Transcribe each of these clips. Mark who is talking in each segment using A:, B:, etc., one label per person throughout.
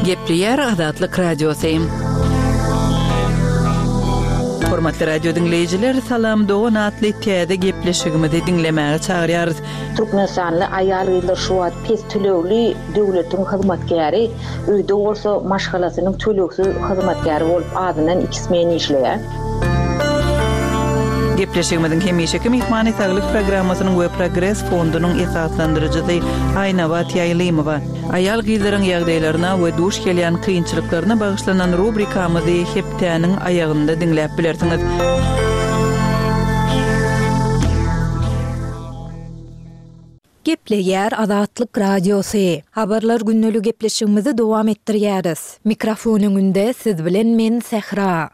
A: Gepleýär Azatlyk Radiosy. Hormatly radio diňleýjiler, Salam dogan atly täze gepleşigimizi diňlemäge çagyrýarys.
B: Türkmenistanly aýal-gyzlar şu wagt pes tölegli döwletiň hyzmatkäri, öýde bolsa maşgalasynyň tölegsiz hyzmatkäri bolup azyndan iki smen işleýär.
A: Gepleşigimiziň hemişeki myhmany Saglyk programmasynyň we Progres fondunyň esaslandyryjysy Aýnabat Ýaýlymowa. Aýal-gyzlaryň ýagdaýlaryna we duş gelýän kynçylyklaryna bagyşlanan rubrikamyzy hepdäniň aýagynda diňläp bilersiňiz.
C: Gepleýär Azatlyk Radiosy. Habarlar gündeli gepleşigimizi dowam etdirýäris. Mikrofon öňünde siz bilen men Sähra.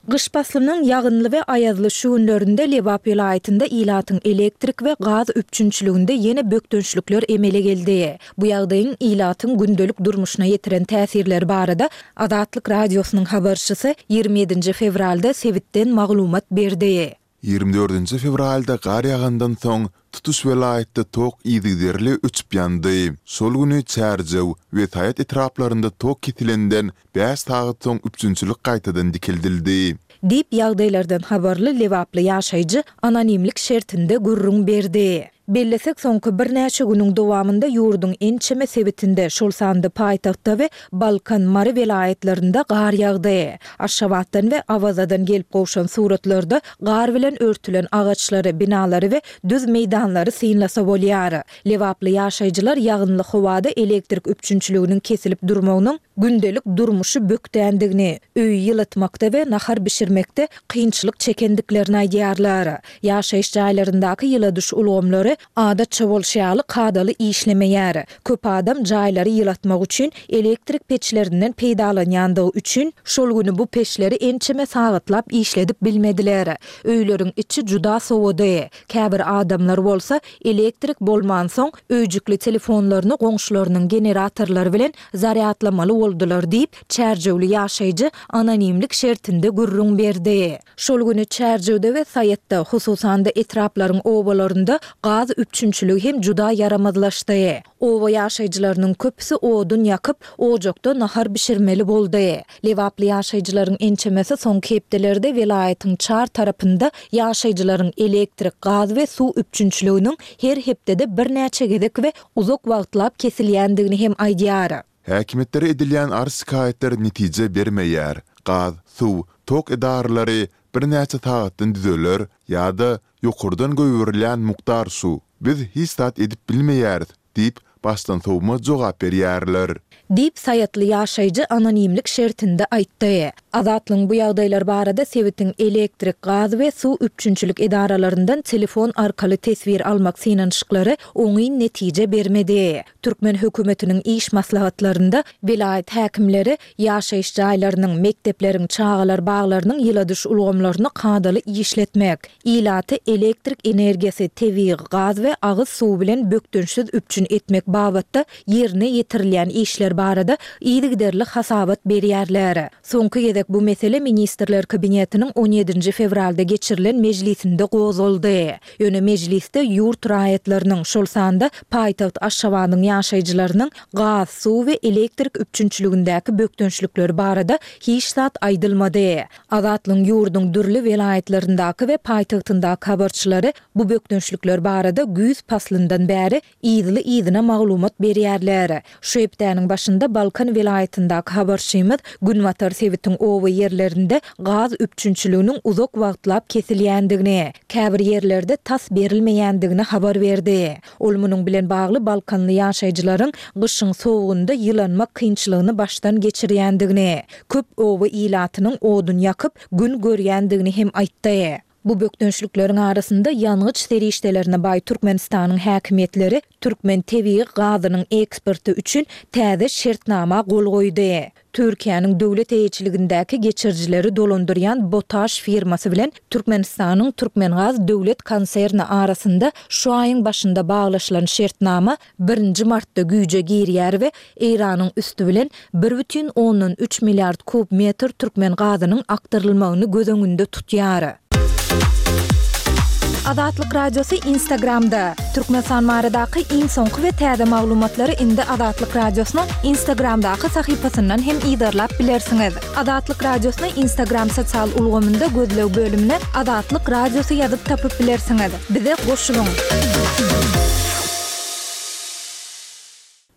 C: Gyş paslynyň ýagynly we aýazly şu günlerinde Lebap welaýatynda ilatyň elektrik we gaz üpjünçiliginde ýene bökdençlikler emele geldi. Bu ýagdaýyň ilatyň gündelik durmuşyna ýetiren täsirleri barada Azatlyk Radiosynyň habarçysy 27 nji fewralda sebitden maglumat berdi.
D: 24-nji fewralda gar ýagandan soň, tutuş welaýatda tok yzygiderli öçüp ýandy. Şol güni Çärjew we Saýat etraplarynda tok kesilenden bäş sagat soň üpjünçilik gaýtadan dikeldildi.
C: Diýip, ýagdaýlardan habarly lebaply ýaşaýjy anonimlik şertinde gürrüň berdi. Bellesek, soňky birnäçe günüň dowamynda ýurduň ençeme sebitinde, şol sanda paýtagtda we Balkan, Mary welaýatlarynda gar ýagdy. Aşgabatdan we Awazadan gelip gowşan suratlarda gar bilen örtülen agaçlary, binalary we düz meýdanlary synlasa bolýar. Lebaply ýaşaýjylar ýagynly howada elektrik üpjünçiliginiň kesilip durmagynyň gündelik durmuşy bökdändigini, öýi ýylatmakda we nahar bişirmekde kynçylyk çekendiklerini aýdýarlar. Ýaşaýyş jaýlaryndaky ýyladyş ulgamlary adatça bolşy ýaly kadaly işlemeýär. Köp adam jaýlary ýylatmak üçin elektrik peçlerinden peýdalanýandygy üçin, şol güni bu peçleri ençeme sagatlap işledip bilmediler. Öýleriň içi juda sowady. Käbir adamlar bolsa, elektrik bolmansoň, öýjükli telefonlaryny goňşularynyň generatorlary bilen zarýadlamaly boldular diýip, çärjewli ýaşaýjy anonimlik şertinde gürrüň berdi. Şol güni Çärjewde we Saýatda, hususan-da etraplaryň obalarynda gaz üpjünçiligi hem juda ýaramazlaşdy. Oba ýaşaýjylarynyň köpüsi odun ýakyp, ojakda nahar bişirmeli boldy. Lebaply ýaşaýjylaryň ençemesi soňky hepdelerde welaýatyň çar tarapynda ýaşaýjylaryň elektrik, gaz we suw üpjünçiliginiň her hepdede birnäçe gezek we uzak wagtlap kesilýändigini hem aýdýar.
D: Häkimiýetlere edilýän arz-şikaýatlar netije bermeýär. Gaz, suw, tok edaralary birnäçe sagatdan düzeler ýa-da ýokardan goýberilýän mukdar şu, biz hiç zat edip bilmeýäris diýip, başdansowma jogap berýärler.
C: Diýip, saýatly ýaşaýjy anonimlik şertinde aýtdy. Azatlygyň bu ýagdaýlar barada sebitiň elektrik, gaz we suw üpjünçilik edaralaryndan telefon arkaly teswir almak synanyşyklary oňyn netije bermedi. Türkmen hökümetiniň iş maslahatlarynda welaýat häkimleri ýaşaýyş jaýlarynyň, mekdepleriň, çagalar baglarynyň ýyladyş ulgamlaryny kadaly işletmek, ilaty elektrik energiýasy, tebigy gaz we agyz suwy bilen bökdençsiz üpjün etmek babatda ýerine ýetirilýän işler barada yzygiderli hasabat berýärler. Soňky gezek bu mesele Ministrler Kabinetiniň on ýedinji fewralda geçirilen mejlisinde gozgaldy. Ýöne mejlisde ýurt raýatlarynyň, şol sanda paýtagt Aşgabadyň ýaşaýjylarynyň gaz, suw we elektrik üpjünçiligindäki bökdençlikleri barada hiç zat aýdylmady. Azatlygyň ýurduň dürli welaýatlaryndaky we paýtagtyndaky habarçylary bu bökdençlikler barada güýz paslyndan bäri yzly-yzyna maglumat berýärler. Şu hepdäniň başynda Balkan welaýatyndaky habarçymyz günbatar sebitiň oba ýerlerinde gaz üpjünçiliginiň uzak wagtlap kesilýändigini, käbir ýerlerde tas berilmeýändigini habar berdi. Ol munuň bilen bagly balkanly ýaşaýjylaryň gyşyň sowugynda ýylanmak kynçylygyny başdan geçirýändigini, köp oba ilatynyň odun ýakyp, gün görýändigini hem aýtdy. Bu bökdençlikleriň arasynda ýangyç serişdelerine baý Türkmenistanyň häkimiýetleri türkmen tebigy gazynyň eksporty üçin täze şertnama gol goýdy. Türkiýäniň döwlet eýeçiligindäki geçirijileri dolandyrýan Botaş firmasy bilen Türkmenistanyň Türkmengaz döwlet konserni arasynda şu aýyň başynda baglaşylan şertnama birinji martda güýje girýär we Eýranyň üsti bilen bir bütin ondan üç milliard kub metr türkmen gazynyň akdyrylmagyny göz öňünde tutýar. Azatlyk Radiosy Instagramda. Türkmenistan baradaky iň soňky we täze maglumatlary indi Azatlyk Radiosynyň Instagramdaky sahypasyndan hem yzarlap bilersiňiz. Azatlyk Radiosyny Instagram sosial ulgamynda gözleg bölümine Azatlyk Radiosy ýazyp tapyp bilersiňiz. Bize goşulyň!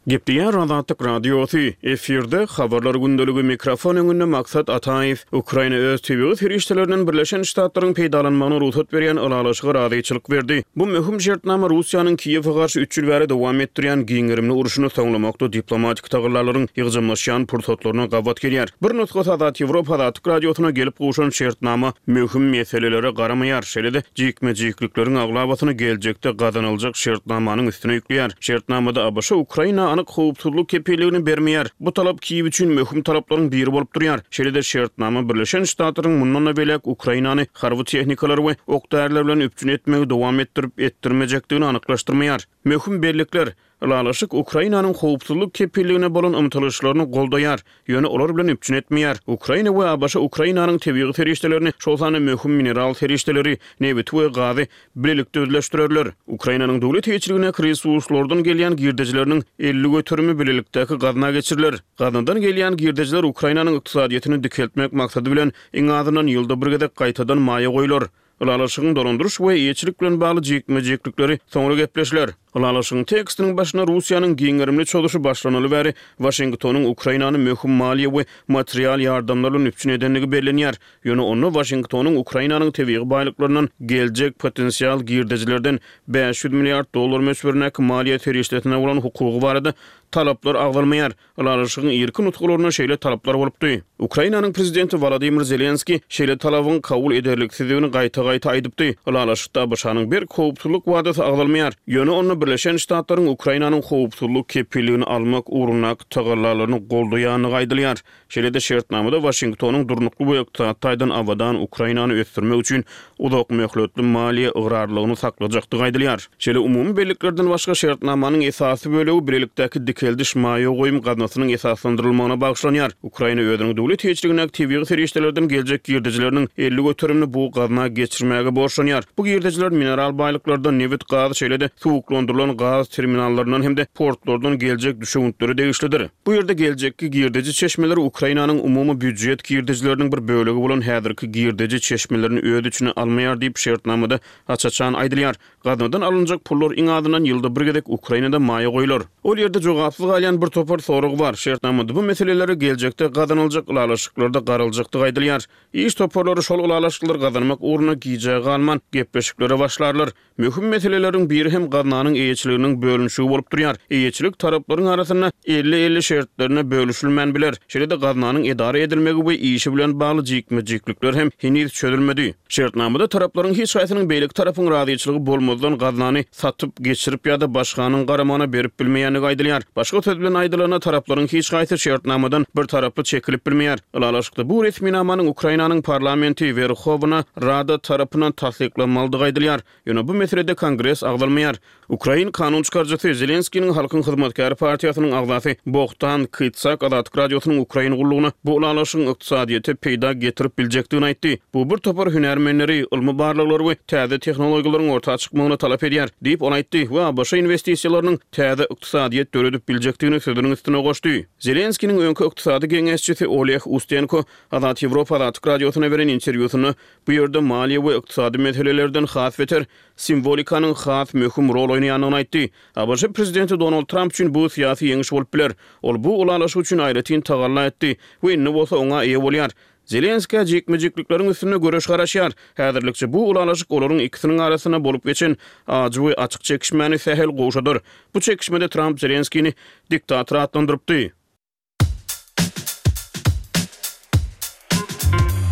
E: Gepleýär Azatlyk Radiosy, efirde, Habarlar gündeligi, mikrofon öňünde Maksat Ataýew. Ukraina öz tebigy serişdelerinden Birleşen Ştatlaryň peýdalanmagyna rugsat berýän ylalaşyga razyçylyk berdi. Bu möhüm şertnama Russiýanyň Kiýewe garşy üç ýyl bäri dowam etdirýän giň gerimli urşuny soňlamakda diplomatik tagallalaryň ýygjamlaşýan pursatlaryna gabat gelýär. Bir nusgasy Azat Ýewropa Azatlyk Radiosyna gelip gowşan şertnama möhüm meselelere garamaýar, şeýle-de jikme-jiklikleriň aglabasyny geljekde gazanyljak şertnamanyň üstüne ýükleýär. Şertnamada ABŞ Ukraina anyk howpsuzlyk kepilligini bermeýär. Bu talap Kiýew üçin möhüm talaplaryň biri bolup durýar. Şeýle-de şertnama Birleşen Ştatlaryň mundan-da beýläk Ukrainany harby tehnikalar we ok-däriler bilen üpjün etmegi dowam etdirip-etdirmejekdigini anyklaşdyrmaýar. Möhüm bellikler, Ylalaşyk Ukrainanyň howpsuzlyk kepilligine bolan ymtylyşlaryny goldaýar, ýöne olar bilen üpjün etmeýär. Ukraina we ABŞ Ukrainanyň tebigy serişdelerini, şol sanda möhüm mineral serişdeleri, nebiti we gazy bilelikde özleşdirerler. Ukrainanyň döwlet eýeçiligindäki resurslardan gelýän girdejileriniň 50 göterimi bilelikdäki gazna geçiriler. Gaznadan gelýän girdejiler Ukrainanyň ykdysadyýetini dikeltmek maksady bilen iň azyndan ýylda bir gezek gaýtadan maýa goýlar. Ylalaşygyň dolandyryş we eýeçilik bilen bagly jikme-jiklikleri soňra gepleşiler. Ylalaşygyň tekstiniň başynda Russiýanyň giň gerimli çozuşy başlanaly bäri Waşingtonyň Ukrainany möhüm maliýe we material ýardamlar bilen üpjün edendigi bellenýär. Ýöne onda Waşingtonyň Ukrainanyň tebigy baýlyklaryndan geljek potensial girdejilerden 500 milliard dollar möçberindäki maliýe serişdesine bolan hukugy barada talaplar agzalmaýar. Ylalaşygyň irki nusgalarynda şeýle talaplar bolupdy. Ukrainanyň prezidenti Wolodymyr Zelenskiý şeýle talabyň kabul ederliksizdigini gaýta-gaýta aýdypdy. Ylalaşykda ABŞ-nyň berk howpsuzlyk wadasy agzalmaýar. Ýöne onda Birleşen Ştatlaryň Ukrainanyň howpsuzlyk kepilligini almak ugrundaky tagallalaryny goldaýandygy aýdylýar. Şeýle-de şertnamada Waşingtonyň durnukly we ykdysady taýdan abadan Ukrainany ösdürmek üçin uzak möhletli maliýe ygrarlylygyny saklajakdygy aýdylýar. Şeýle umumy belliklerden başga şertnamanyň esasy bölegi bilelikdäki dikeldiş maýa goýum gaznasynyň esaslandyrylmagyna bagyşlanýar. Ukraina özüniň döwlet eýeçiligindäki tebigy serişdelerden geljek girdejileriniň 50 göterimini bu gazna geçirmäge borçlanýar. Bu girdejiler mineral baýlyklardan, nebit, gaz, şeýle-de suwuklandyrylan gaz terminallaryndan hem-de portlardan geljek düşewüntlere degişlidir. Bu ýerde geljekki girdeji çeşmeleri Ukrainanyň umumy býujet girdejileriniň bir bölegi bolan häzirki girdeji çeşmelerini öz içine almaýar diýip, şertnamada aç-açan aýdylýar. Gaznadan alynjak pullar iň azyndan ýylda bir gezek Ukrainada maýa goýlar. Ol ýerde jogapsyz galýan bir topar sorag bar. Şertnamada bu meselelere geljekde gazanyljak ylalaşyklarda garaljakdygy aýdylýar. Iş toparlary şol ylalaşyklary gazanmak ugrunda gijä galman gepleşiklere başlarlar. Möhüm meseleleriň biri hem gaznanyň eýeçiliginiň bölünişigi bolup durýar. Eýeçilik taraplaryň arasynda elli-elli şertlerinde bölüşilmän biler. Şeýle-de gaznanyň edara edilmegi we işi bilen bagly jikme-jiklikler hem heniz çözülmedi. Şertnamada taraplaryň hiç haýsynyň beýleki tarapyň razyçylygy bolmazdan gaznany satyp, geçirip ýa-da başganyň garamagyna berip bilmeýändigi aýdylýar. Başga söz bilen aýdylanda, taraplaryň hiç haýsy şertnamadan bir taraply çekilip bilmeýär. Ylalaşykda bu resminamanyň Ukrainanyň parlamenti, Werhowna Rada tarapyndan tassyklanmalydygy aýdylýar. Ýöne bu meselede Kongres agzalmaýar. Ukrain kanun çykaryjysy, Zelenskiniň Halkyň hyzmatkäri partiýasynyň agzasy Bohdan Kytsak Azatlyk Radiosynyň Ukrain gullugyna bu ylalaşygyň ykdysadyýete peýda getirip biljekdigini aýtdy. Bu bir topar hünärmenleri, ylmy barlaglary we täze tehnologiýalaryň orta çykmagyny talap edýär, diýip, ol aýtdy we ABŞ inwestisiýalarynyň täze ykdysadyýet döredip biljekdigini sözüniň üstüne goşdy. Zelenskiniň öňki ykdysady geňeşçisi Oleh Ustenko Azat Ýewropa Azatlyk Radiosyna beren interwýusynda bu ýerde maliýe we ykdysady meselelerden has beter simwolikanyň has möhüm rol oýnaýandygyny aýtdy. ABŞ prezidenti Donald Tramp üçin bu syýasy ýeňiş bolup biler. Ol bu ylalaşyk üçin aýratyn tagalla etdi we indi bolsa oňa eýe bolýar. Zelenskä jikme-jiklikleriň üstünde göreş garaşýar. Häzirlikçe bu ylalaşyk olaryň ikisiniň arasynda bolup geçen ajy we açyk çekişmäni sähel gowşadar. Bu çekişmede Tramp Zelenskini diktator atlandyrypdy.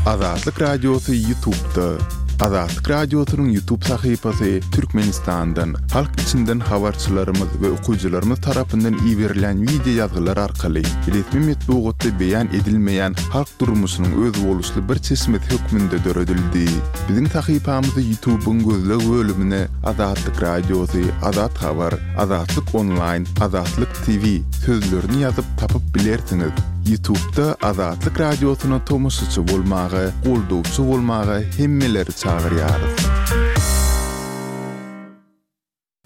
D: Azatlyk Radiosy Ýutubda. Azatlyk Radiosynyň Ýutub sahypasy Türkmenistandan, halk içinden habarçylarymyz we okyjylarymyz tarapyndan iberilýän wideo ýazgylar arkaly resmi metbugatda beýan edilmeýän halk durmuşynyň özboluşly bir çeşmesi hökmünde döredildi. Biziň sahypamyzy Ýutubyň gözleg bölümine Azatlyk Radiosy, Azat Habar, Azatlyk Onlaýn, Azatlyk TV sözlerini ýazyp tapyp bilersiňiz. Ýutubda Azatlyk Radiosyna tomaşaçy bolmaga, goldawçy bolmaga hemmeleri çagyrýarys.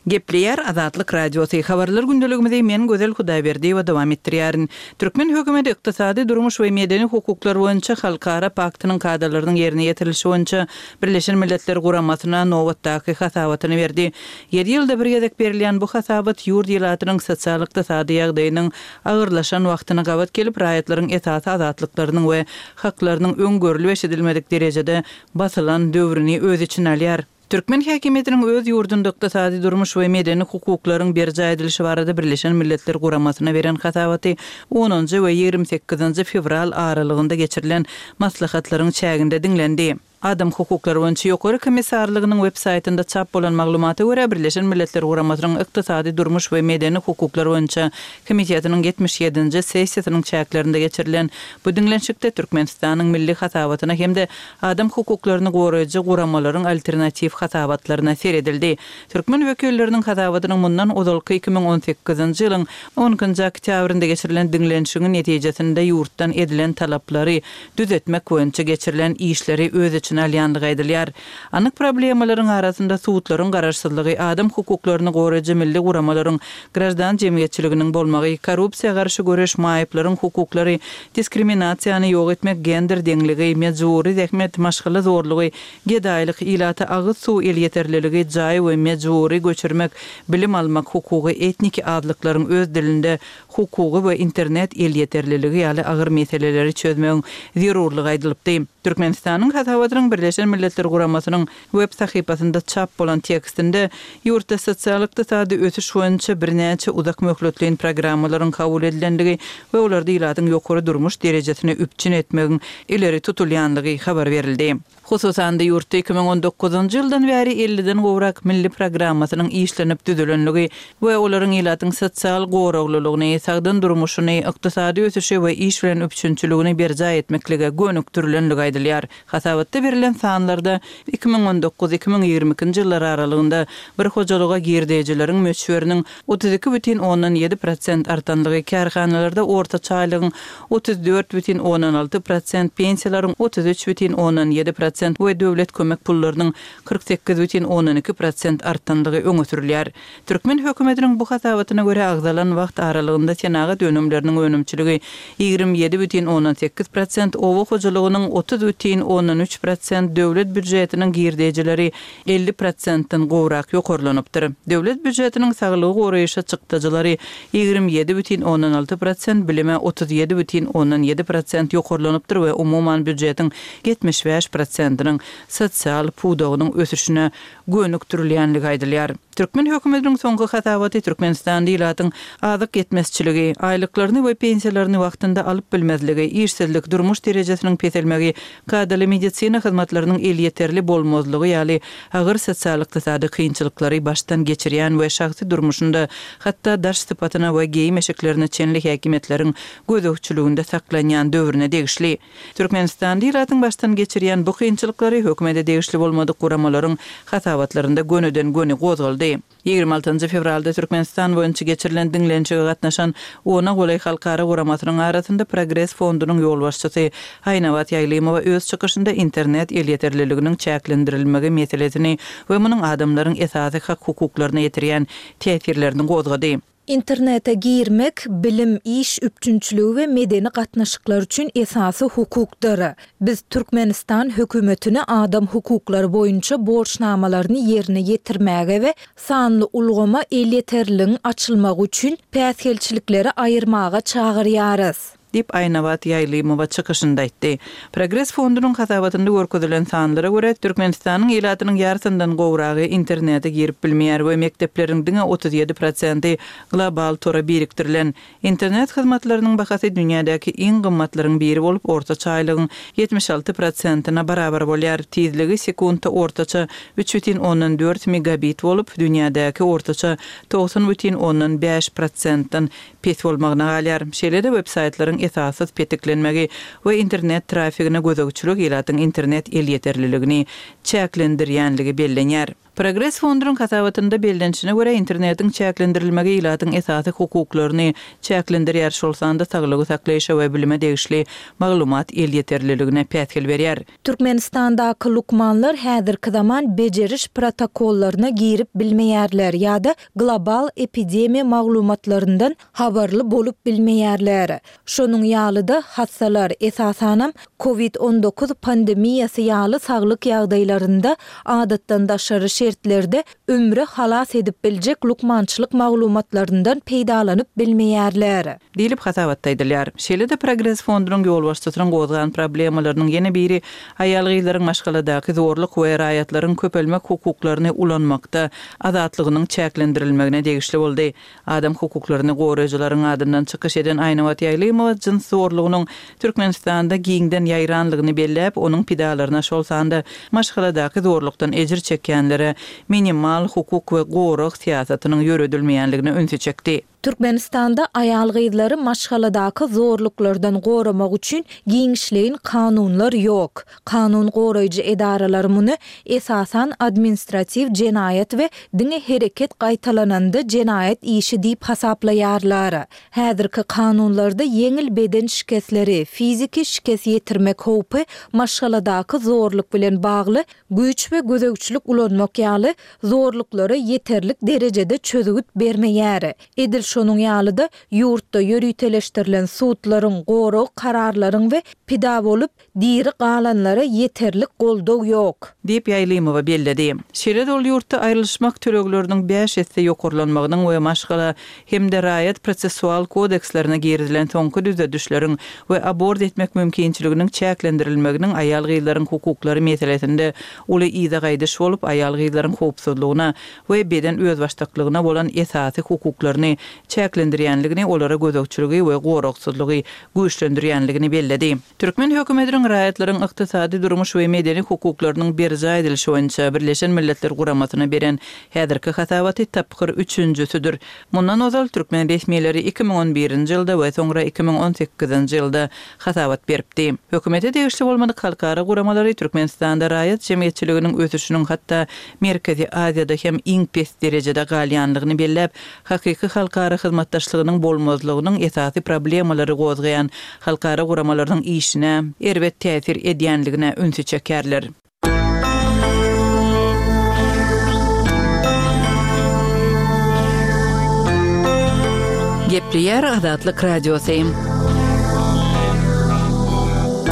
A: Gepleýär Azatlyk Radiosy, Habarlar gündeligimizi men Gözel Hudaýberdiýewa dowam etdirýärin. Türkmen hökümeti ykdysady, durmuş we medeni hukuklar boýunça halkara paktynyň kadalarynyň ýerine ýetirilişi boýunça Birleşen Milletler Guramasyna nobatdaky hasabatyny berdi. Ýedi ýylda bir gezek berilýän bu hasabat ýurt ilatynyň sosial-ykdysady ýagdaýynyň agyrlaşan wagtyna gabat gelip, raýatlaryň esasy azatlyklarynyň we haklarynyň öň görlüp-eşidilmedik derejede basylan döwrüni öz içine alýar. Türkmen häkimiýetiniň öz ýurdunda ykdysady, durmuş we medeni hukuklaryň berjaý edilişi barada Birleşen Milletler Guramasyna beren hasabaty onunjy we 28-nji fewral aralygynda geçirilen maslahatlaryň çäginde diňlendi. Adam hukuklary boýunça Ýokary komissarlygynyň web saýtynda çap bolan maglumata görä, Birleşen Milletler Guramasynyň Ykdysady, durmuş we medeni hukuklar boýunça komitetiniň 77-nji sessiýasynyň çäklerinde geçirilen bu diňlenişikde Türkmenistanyň milli hasabatyna hem-de Adam hukuklaryny goraýjy guramalaryň alternatiw hasabatlaryna seredildi. Türkmen wekilleriniň hasabatynyň mundan ozalky 2018-nji ýylyň on ikinji oktýabrynda geçirilen diňlenişigiň netijesinde ýurtdan edilen talaplary düzetmek boýunça geçirilen işleri öz içine alýandygy aýdylýar. Anyk problemalaryň arasynda sudlaryň garaşsyzlygy, adam hukuklaryny goraýjy milli guramalaryň, graždan jemgyýetçiliginiň bolmagy, korrupsiýa garşy göreş, maýyplaryň hukuklary, diskriminasiýany ýok etmek, gender deňligi, mejbury zähmet, maşgala zorlugy, gedaýlyk, ilata agyz suw elýeterliligi, jaý we mejbury göçürmek, bilim almak hukugy, etniki azlyklaryň öz dilinde hukugy we internet elýeterliligi ýaly agyr meseleleri çözmegiň zerurlygy aýdylypdy. Türkmenistanyň hasabatynyň Birleşen Milletler Guramasynyň web sahypasynda çap bolan tekstinde ýurtda sosial-ykdysady ösüş boýunça birnäçe uzak möhletleýin programmalaryň kabul edilendigi we olarda ilatyň ýokary durmuş derejesini üpjün etmegiň ileri tutulýandygy habar berildi. Hususan-da, ýurtda 2019-njy ýyldan bäri elliden gowrak milli programmasynyň işlenip düzülenligi we olaryň ilatyň sosial goraglylygyny, sagdyn durmuşyny, ykdysady ösüşi we iş bilen üpjünçiligini berjaý etmeklige gönükdirilenligi aýdylýar. Hasabatda berlen sanlarda 2019, 2022-nji ýyllar aralygynda bir hojalyga girdejileriň möçberiniň 32 bütin ondan 7 prosent artanlygy, kärhanalarda ortaça aýlygyň 34 bütin ondan 6 prosent, pensiýalaryň 33 bütin ondan 7 prosent we döwlet kömek pullarynyň 48 bütin ondan 2 prosent artanlygy öňe sürülýär. Türkmen hökümetiniň bu hasabatyna görä, agzalan wagt aralygynda senagat önümleriniň önümçiligi 27 bütin ondan 8 prosent, oba hojalygynyň 30 bütin ondan 3 prosent, döwlet býujetiniň girdejileri 50 prosentden gowrak ýokarlanypdyr. Döwlet býujetiniň saglygy goraýyşa çykdajylary 27 bütin ondan 6 prosent, bilime 37 bütin ondan 7 prosent ýokarlanypdyr we umuman býujetiň 75 prosentiniň sosial pudagynyň ösüşine gönükdirilýänligi aýdylýar. Türkmen hökümetiniň soňky hasabaty Türkmenistanda ilatyň azyk ýetmezçiligi, aýlyklaryny we pensiýalaryny wagtynda alyp bilmezligi, işsizlik, durmuş derejesiniň peselmegi, kadaly medisina hyzmatlarynyň elýeterli bolmazlygy ýaly agyr sosial-ykdysady kynçylyklary başdan geçirýän we şahsy durmuşynda hatda daş sypatyna we geýim-eşiklerine çenli häkimiýetleriň gözegçiliginde saklanýan döwrüne degişli. Türkmenistanda ilatyň başdan geçirýän bu kynçylyklary hökümete degişli bolmadyk guramalaryň hasabatlarynda gönüden-göni gozgaldy. 26 fewralda Türkmenistan boýunça geçirilen diňlenişige gatnaşan ona golaý halkara guramasynyň arasynda Progres fondunyň ýolbaşçysy Aýnabat Ýaýlymowa öz çykyşynda internet elýeterliliginiň çäklendirilmegi meselesini we munuň adamlaryň esasy hak-hukuklaryna ýetirýän täsirlerini gozgady.
C: Internete girmek, bilim, iş üpjünçiligi we medeni gatnaşyklar üçin esasy hukukdyr. Biz Türkmenistan hökümetini adam hukuklary boýunça borçnamalaryny ýerine ýetirmäge we sanly ulgama elýeterliligiň açylmagy üçin päsgelçilikleri aýyrmaga çagyrýarys.
A: Diýip, Aýnabat Ýaýlymowa çykyşynda aýtdy. Progres fondunyň hasabatynda görkezilen sanlara görä, Türkmenistanyň ilatynyň ýarysyndan gowragy internete girip bilmeýär we mekdepleriň diňe 37 prosenti global tora birikdirilen. Internet hyzmatlarynyň bahasy dünýädäki iň gymmatlaryň biri bolup, ortaça aýlygyň 76 prosentine barabar bolýar. Tizligi sekuntda ortaça 3,4 megabit bolup, dünýädäki ortaça 90,5 prosentden pes bolmagyna galýar. Şeýle-de web-saýtlaryň esassyz petiklenmegi we internet trafigine gözegçilik ilatyň internet elýeterliligini çäklendirýänligi bellenýär. Progres fondunyň hasabatynda bellenişine görä, internetiň çäklendirilmegi ilatyň esasy hukuklaryny çäklendirýär, şol sanda saglygy saklaýşa we bilime degişli maglumat elýeterliligine päsgel berýär.
C: Türkmenistandaky lukmanlar häzirki zaman bejeriş protokollaryna girip bilmeýärler ýa-da global epidemiýa maglumatlaryndan habarly bolup bilmeýärler. Şonuň ýaly-da, hassalar, esasanam, Covid 19 pandemiýasy ýaly saglyk ýagdaýlarynda adatdan daşary şertlerde ömri halas edip biljek lukmançylyk maglumatlaryndan peýdalanyp bilmeýärler.
A: Diýlip, hasabatda aýdylýar. Şeýle-de Progres fondunyň ýolbaşçysynyň gozgan problemalarynyň ýene biri aýal-gyzlaryň maşgaladaky zorluk we raýatlaryň köpelmek hukuklaryny ulanmakda azatlygynyň çäklendirilmegine degişli boldy. Adam hukuklaryny goraýjylaryň adyndan çykyş eden Aýnabat Ýaýlymowa jyns zorlugynyň Türkmenistanda giňden ýaýranlygyny belläp, onuň pidalaryna, şol sanda maşgaladaky zorlukdan ejir çekýänlere minimal hukuk we gorag syýasatynyň ýöredilmeýänligine ünsi çekdi.
C: Türkmenistanda aýal-gyzlary maşgaladaky zorluklardan goramak üçin giňişleýin kanunlar ýok. Kanun goraýjy edaralar muny, esasan, administratiw jenaýat we diňe hereket gaýtalananda jenaýat işi diýip hasaplaýarlar. Häzirki kanunlarda ýeňil beden şikesleri, fiziki şikes ýetirmek howpy, maşgaladaky zorluk bilen bagly güýç we gözegçilik ulanmak ýaly zorluklara ýeterlik derejede çözgüt bermeýär. Edil şonuň ýaly-da, ýurtda ýöriteleşdirilen sudlaryň, gorag kararlaryň we pida bolup, Diri galanlara ýeterlik goldaw ýok.
A: Diýip, Ýaýlymowa belledi. Şeýle-de ol ýurtda aýrylyşmak tölegleriniň bäş esse ýokarlanmagynyň we maşgala hem-de raýat prosessual kodekslerine girizilen soňky düzedişleriň we abort etmek mümkinçiliginiň çäklendirilmeginiň aýal-gyzlaryň hukuklary meselesinde uly yza gaýdyş bolup, aýal-gyzlaryň howpsuzlygyna we beden özbaşdaklygyna bolan esasy hukuklaryny çäklendirýänligini, olara gözegçiligi we goragsyzlygy güýçlendirýänligini belledi. Türkmen hökümetiniň raýatlaryň ykdysady, durmuş we medeni hukuklarynyň berjaý edilişi boýunça Birleşen Milletler Guramasyna beren häzirki hasabaty tapgyr üçünjisidir. Mundan ozal türkmen resmileri 2011-nji ýylda we soňra 2018-nji ýylda hasabat beripdi. Hökümete degişli bolmadyk halkara guramalary Türkmenistanda raýat jemgyýetçiliginiň ösüşiniň hatda Merkezi Aziýada hem iň pes derejede galýanlygyny belläp, hakyky halkara hyzmatdaşlygynyň bolmazlygynyň esasy problemalary gozgaýan halkara guramalarynyň işine erbet täsir edýänligine ünsi çekerler. Gepleýär Azatlyk Radiosy.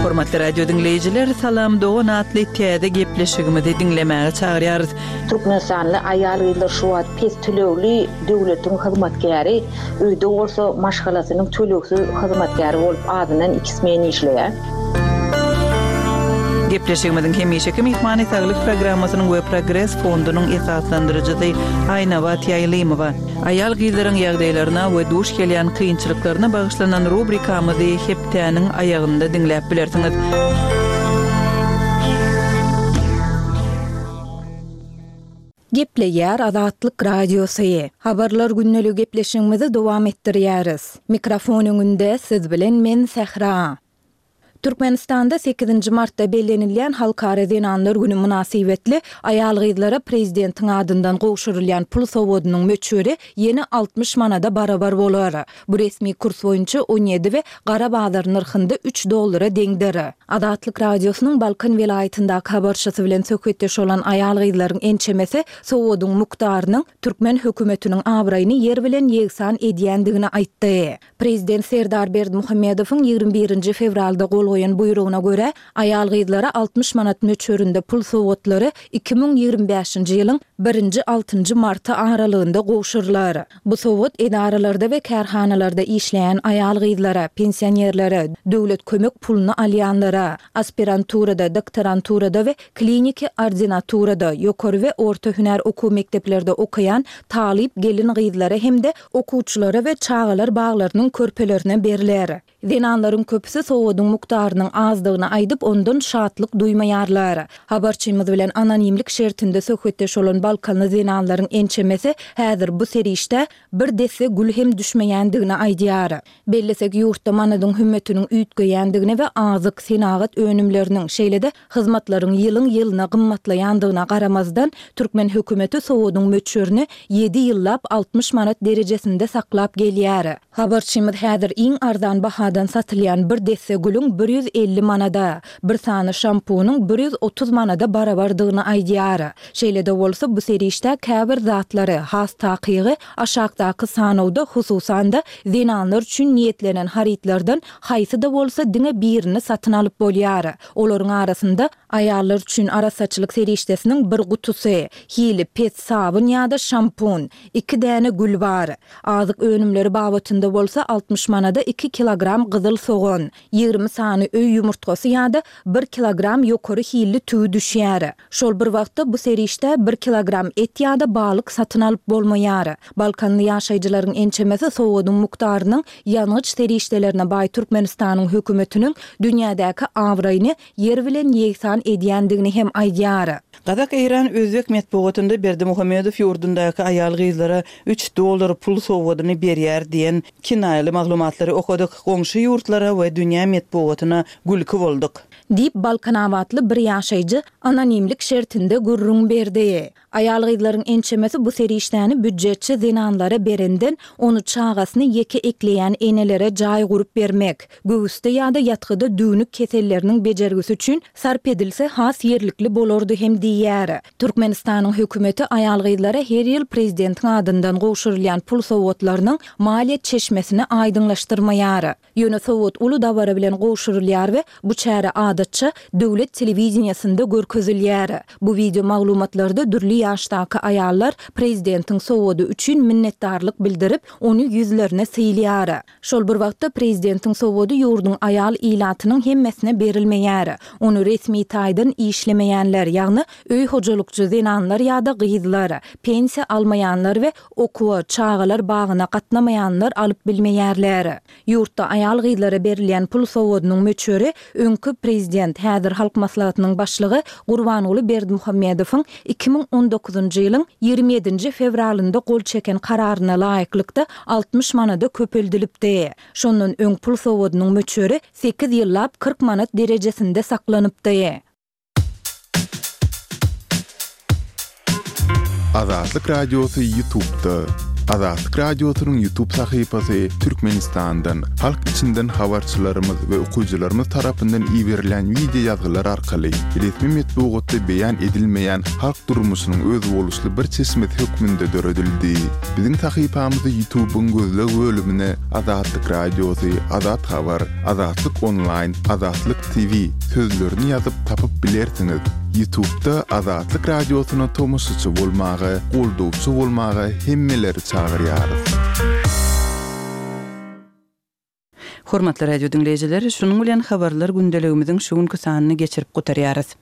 A: Hormatly radio diňleýjiler, Salam dogan atly täze gepleşigimizi diňlemäge çagyrýarys.
B: Türkmenistanly aýal-gyzlar şu wagt pes tölegli döwletiň hyzmatkäri, öýde bolsa maşgalasynyň tölegsiz hyzmatkäri bolup azyndan iki smen işleýär.
A: Gepleşigimiziň hemişeki myhmany Saglyk programmasynyň we Progres fondunyň esaslandyryjysy Aýnabat Ýaýlymowa. Aýal-gyzlaryň ýagdaýlaryna we duş gelýän kynçylyklaryna bagyşlanan rubrikamyzy hepdäniň aýagynda diňläp bilersiňiz.
C: Gepleýär Azatlyk Radiosy. Habarlar gündeligi gepleşigimizi dowam etdirýäris. Mikrofon öňünde siz bilen men Sähra. Türkmenistanda sekizinji martda bellenilýän Halkara zenanlar güni mynasybetli aýal-gyzlara prezidentiň adyndan gowşurylýan pul sowgadynyň möçberi ýene 60 manada barabar bolar. Bu resmi kurs boýunça 17 we gara bazar nyrhynda üç dollara deňdir. Azatlyk Radiosynyň Balkan welaýatyndaky habarçysy bilen söhbetdeş bolan aýal-gyzlaryň ençemesi sowgadyň mukdarynyň türkmen hökümetiniň abraýyny ýer bilen ýegsan edýändigini aýtdy. Prezident Serdar Berdimuhamedowyň 21 nji fewralda gol goýan buýrugyna görä, aýal-gyzlara 60 manat möçberinde pul sowgatlary 2025-nji ýylyň birinji-altynjy marty aralygynda gowşurylar. Bu sowgat edaralarda we kärhanalarda işleýän aýal-gyzlara, pensionerlere, döwlet kömek puluny alýanlara, aspiranturada, doktoranturada we kliniki ordinaturada, ýokary we orta hünär okuw mekdeplerde okaýan talyp gelin-gyzlara hem-de okuwçylara we çagalar baglarynyň körpelerine berler. Zenanlaryň köpüsi sowgadyň mukdaryny. mukdarynyň azdygyny aýdyp, ondan şatlyk duýmaýarlar. Habarçymyz bilen anonimlik şertinde söhbetdeş bolan balkanly zenanlaryň ençemesi häzir bu serişdä bir desse gül hem düşmeýändigini aýdýar. Bellesek, ýurtda manadyň hümmetiniň üýtgeýändigine we azyk, senagat önümleriniň, şeýle-de hyzmatlaryň ýylyň-ýylyna gymmatlaýandygyna garamazdan, türkmen hökümeti sowgadyň möçberini ýedi ýyllap 60 manat derejesinde saklap gelýär. Habarçymyz häzir iň arzan bahadan satylýan bir desse gülüň 150 manada, bir sany şampunyň 130 manada barabardygyny aýdýar. Şeýle-de bolsa, bu serişdä käbir zatlary, has takygy, aşakdaky sanawda, hususan-da, zenanlar üçin niýetlenen harytlardan haýsy-da bolsa diňe birini satyn alyp bolýar. Olaryň arasynda aýallar üçin arassaçylyk serişdesiniň bir gutusy, hili pes sabyn ýa-da şampun, iki däne gül bar. Azyk önümleri babatynda bolsa 60 manada iki kilogram gyzyl sogan, 20 sany öý ýumurtgasy ýa-da bir kilogram ýokary hilli tüwi düşýär. Şol bir wagtda bu serişdä bir kilogram et ýa-da balyk satyn alyp bolmaýar. Balkanly ýaşaýjylaryň ençemesi sowgadyň mukdarynyň ýangyç serişdelerine baý Türkmenistanyň hökümetiniň dünýädäki abraýyny ýer bilen ýegsan edýändigini hem aýdýar.
A: Gazak, eýran, özbek metbugatynda Berdimuhamedow ýurdundaky aýal-gyzlara üç dollar pul sowgadyny berýär diýen kinaýaly maglumatlary okadyk, goňşy ýurtlara we dünýä metbugatyna gülki bolduk.
C: Diýip, balkanabatly bir ýaşaýjy anonimlik şertinde gürrüň berdi. Aýal-gyzlaryň ençemesi bu serişdäni býujetçi zenanlara berenden, ony çagasyny ýeke ekleýän enelere jaý gurup bermek, göwüsde ýa-da ýatgyda düwnük keselleriniň bejergisi üçin sarp edilse has ýerlikli bolardy hem diýýär. Türkmenistanyň hökümeti aýal-gyzlara her ýyl prezidentiň adyndan gowşurylýan pul sowgatlarynyň maliýe çeşmesini aýdyňlaşdyrmaýar. Ýöne sowgat uly dabara bilen gowşurylýar we bu çäre adatça döwlet telewideniýesinde görkezilýär. Bu wideo maglumatlarda dürli ýaşdaky aýallar prezidentiň sowgady üçin minnetdarlyk bildirip, ony ýüzlerine sylýar. Şol bir wagtda prezidentiň sowgady ýurduň aýal ilatynyň hemmesine berilmeýär. Ony resmi taýdan işlemeýänler, ýagny öý hojalykçy zenanlar ýa-da gyzlar, pensiýa almaýanlar we Okuwa, çagalar bagyna gatnamaýanlar alyp bilmeýärler. Ýurtda aýal-gyzlara berilýän pul sowgadynyň möçberi öňki prezident, häzir Halk Maslahatynyň başlygy Gurbanguly Berdimuhamedowyň 2019-njy ýylyň 27-nji fewralynda gol çeken kararyna laýyklykda 60 manada köpeldilipdi. Şondan öň pul sowgadynyň möçberi sekiz ýyllap 40 manat derejesinde saklanypdy.
D: Azatlyk Radiosy Ýutubda. Azatlyk Radiosynyň Ýutub sahypasy Türkmenistandan, halk içinden habarçylarymyz we okyjylarymyz tarapyndan iberilen wideo ýazgylar arkaly resmi metbugatda beýan edilmeýän halk durmuşynyň özboluşly bir çeşmesi hökmünde döredildi. Biziň sahypamyzy Ýutubyň gözleg bölümine Azatlyk Radiosy, Azat Habar, Azatlyk Onlaýn, Azatlyk TV sözlerini ýazyp tapyp bilersiňiz. Ýutubda Azatlyk Radiosyna tomaşaçy bolmaga, goldawçy bolmaga hemmeleri çagyrýarys.
A: Hormatly radio diňleýjiler, şunuň bilen Habarlar gündeligimiziň şu günki sanyny geçirip gutarýarys.